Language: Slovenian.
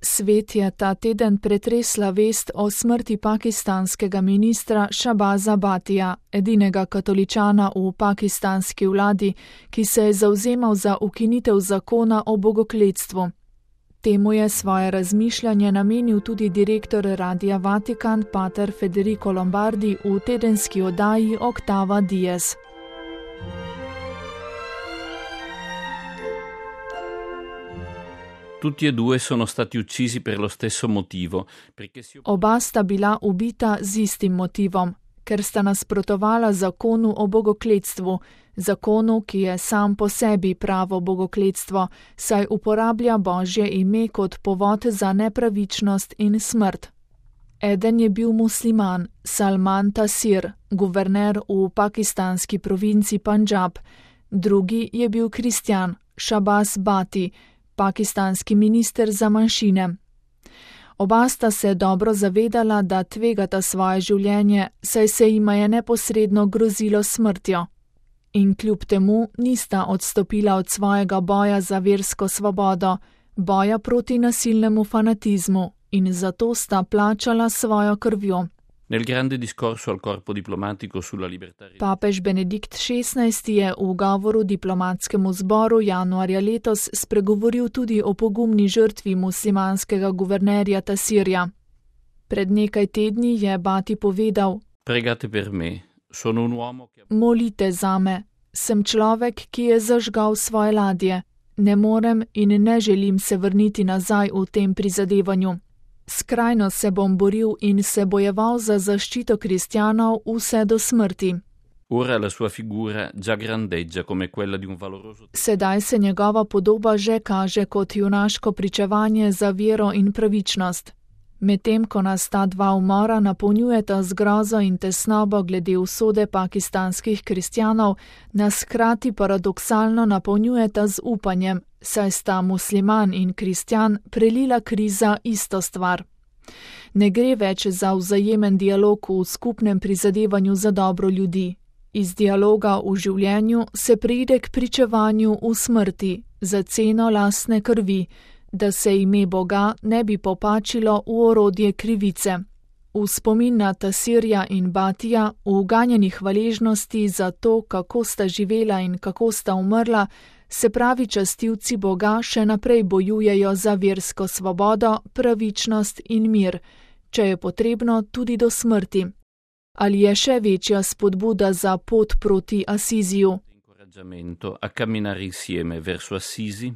Svet je ta teden pretresla vest o smrti pakistanskega ministra Shahbaza Bhatija, edinega katoličana v pakistanski vladi, ki se je zavzemal za ukinitev zakona o bogokletstvu. Temu je svoje razmišljanje namenil tudi direktor Radia Vatikan pater Federico Lombardi v tedenski oddaji Octava Dies. Tutti e due sono stati uccisi per lo stesso motivo. Oba sta bila ubita z istim motivom, ker sta nasprotovala zakonu o bogokletstvu, zakonu, ki je sam po sebi pravo bogokletstvo, saj uporablja Božje ime kot povod za nepravičnost in smrt. Eden je bil musliman, Salman Taseer, guverner v pakistanski provinci Pandžab, drugi je bil kristjan, Shahbaz Bhati, pakistanski minister za manjšine. Oba sta se dobro zavedala, da tvegata svoje življenje, saj se jima je neposredno grozilo smrtjo. In kljub temu nista odstopila od svojega boja za versko svobodo, boja proti nasilnemu fanatizmu, in zato sta plačala svojo krvjo. Nel grande discorso al corpo diplomatico sulla libertà. Papež Benedikt XVI je v govoru diplomatskemu zboru januarja letos spregovoril tudi o pogumni žrtvi muslimanskega guvernerja Taseerja. Pred nekaj tedni je Bhati povedal: Pregate per me, sono un uomo che... Molite zame, sem človek, ki je zažgal svoje ladje. Ne morem in ne želim se vrniti nazaj v tem prizadevanju. Skrajno se bom boril in se bojeval za zaščito kristjanov vse do smrti. Ora la sua figura già grandeggia come quella di un valoroso... Sedaj se njegova podoba že kaže kot junaško pričevanje za vero in pravičnost. Medtem ko nas ta dva umora napolnjujeta z grozo in tesnobo glede usode pakistanskih kristjanov, nas hkrati paradoksalno napolnjujeta z upanjem, saj sta musliman in kristjan prelila kriza isto stvar. Ne gre več za vzajemen dialog v skupnem prizadevanju za dobro ljudi. Iz dialoga v življenju se preide k pričevanju v smrti, za ceno lastne krvi, da se ime Boga ne bi popačilo v orodje krivice. V spomin na Taseerja in Bhatija, v ganjeni hvaležnosti za to, kako sta živela in kako sta umrla, se pravi častilci Boga še naprej bojujejo za versko svobodo, pravičnost in mir, če je potrebno tudi do smrti. Ali je še večja spodbuda za pot proti Asiziju? A camminare insieme verso Assisi?